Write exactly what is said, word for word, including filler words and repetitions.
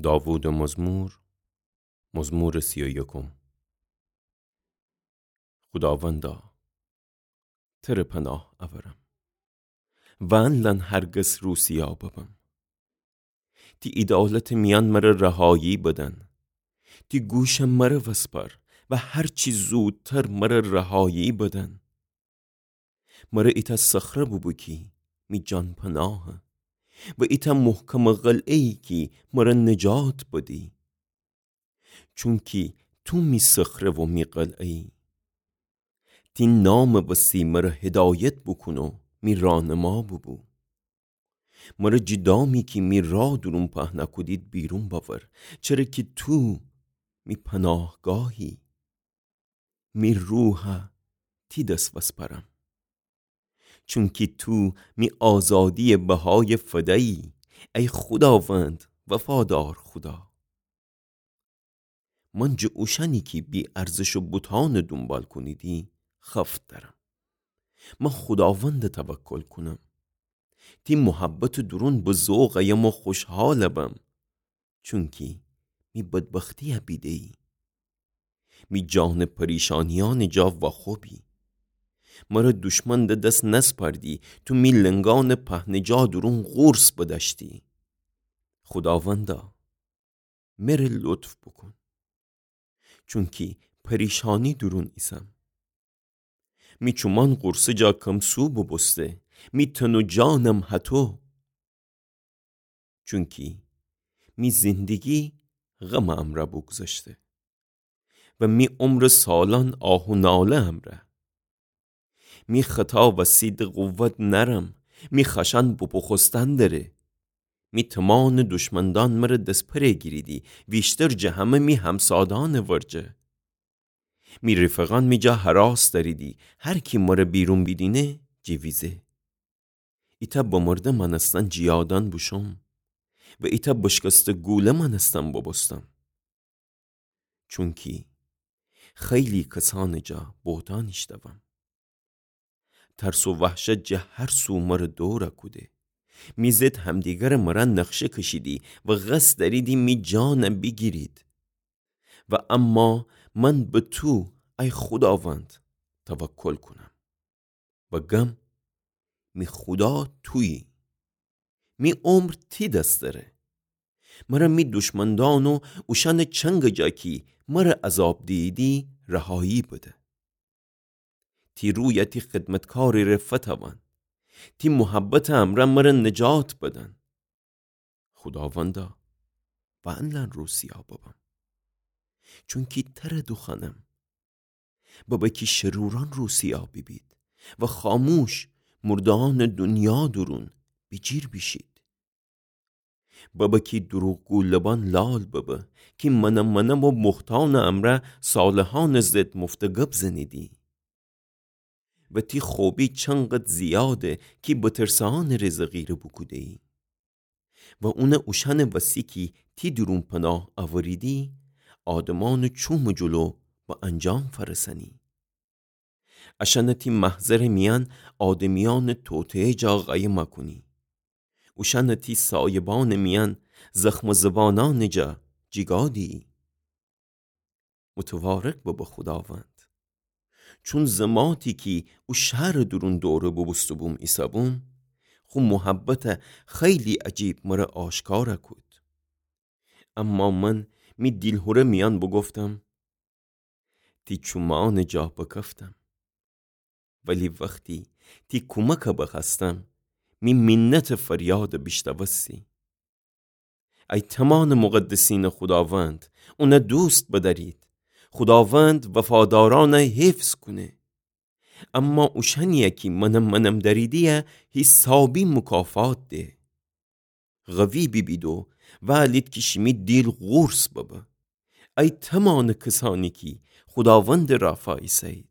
داوودٚ مزمور، مزمورٚ سی و یکم. خوداوندا، تره پناه اورم، وأنلأن هر گس روسیا ببم. تی عیدالتٚ میأن مره رهایی بدن. تی گوشٚ مره وسپار و هر چی زودتر مره رهایی بدن. مره ایتأ صخره بوبو کی می جان پناهه و ایتأ محکمٚ قلعه‌یی کی مره نجات بدی. چونکی تو می صخره و می قلعه‌یی. تی نامٚ وسی مره هدایت بوکون و می رانما بوبو. مره جی دامی کی می راه دورون پهنه کودید بیرون بأور، چره کی تو می پناهگاهی. می روحه تی دس وسپرم. چونکی تو می آزادییٚ بهایه فده‌یی، ای خوداوند، وفادار خودا. من جٚه اوشأنی کی بی‌ارزشٚ بوتأنٚ دونبال کونیدی خفت دأرم. من خوداوندٚ توکل کونم. تی محبتٚ دورون به ذوق أیم و خوشحال بم. چونکی می بدبختییه بیده‌یی. می جانٚ پریشانیأنٚ جا واخوبی. مره دوشمن ده دس نسپردی، تو می لنگأنٚ پهنه جا دورون قورس بدأشتی. خوداوندا، مره لطف بوکون. چونکی پریشانی دورون ایسم. می چومان قورسٚ جا کم سو بوبوسته، می تن و جانم هتو. چونکی می زندگی غمٚ امرأ بوگذشته و می عمرٚ سالأن آه و ناله امرأ. می خطا وسی ده قوت نأرم، می خشأن بوبوخوستن دره. می تمانٚ دوشمندأن مره دسپره گیریدی، ویشتر جٚه همه می همسادأنٚ ورجه. می ریفقأن می جا هراس دأریدی، هر کی مره بیرون بیدینه جیویزه. ایتأ بمرده مأنستن جیادأن بوشوم و ایتأ بشکسته گوله مأنستن بوبوستم. چونکی خیلی کسأنٚ جا بهتأن ایشتوم. ترس و وحشت جٚه هر سو مره دور کوده. می ضد همدیگرٚ مره نقشه کشیدی و قصد دأریدی می جان بیگیرید. و اما من به تو، ای خوداوند، توکل کونم و گم، می خودا تویی. می عمر تی دس دره. مره می دوشمندأن و اوشأنٚ چنگٚ جا کی مره عذاب دییدی رهایی بده. تی رویه تی خدمتکارٚ ره فتأوأن. تی محبتٚ امرأ مره نجات بدن. خوداوندا، وأنلأن روسیا ببم. چونکی تره دوخوأنم. ببه کی شرورأن روسیا بیبید و خاموش مردهأنٚ دونیا دورون بیجیر بیشید. ببه کی دروغگو لبأن لال ببه کی منم منم و بهتأنٚ امرأ صالحأنٚ ضد مفته گب زنیدی. و تی خوبی چنقدر زیاده کی بترسه‌أنٚ ره زغیره بوکوده‌یی. و اونٚ اوشأنٚ وسی کی تی دورون پناه اوریدی، آدمأنٚ چومٚ جلو به انجام فأرسأنی. اشأنه تی محضرٚ میأن آدمیأنٚ توطئه جا قایم کونی. اوشأنه تی سایبأنٚ میأن زخمٚ زبانأنٚ جا جیگا دیی. متوارک ببه خوداوند. چون زماتی کی او شهرٚ دورون دوره بوبوسته‌بوم ایسه‌بوم، خو محبته خیلی عجیب مره آشکار کود. اما من می دیلهوره میأن بوگفتم، تی چومأنٚ جا بکفتم. ولی وختی تی کومک بخوأستم، می مینتٚ فریاد بیشنوستی. ای تومانٚ مقدسینٚ خوداوند، اون دوست بدأرید. خوداوند وفادارأن حفظ کونه. اما اوشأنی کی منم منم دأریدی، حسابی مکافات ده. قوی بیبید و وألید کی شیمی دیل قورس ببه. ای تومانٚ کسأنی کی خوداوندٚ رأ فایسه‌یید.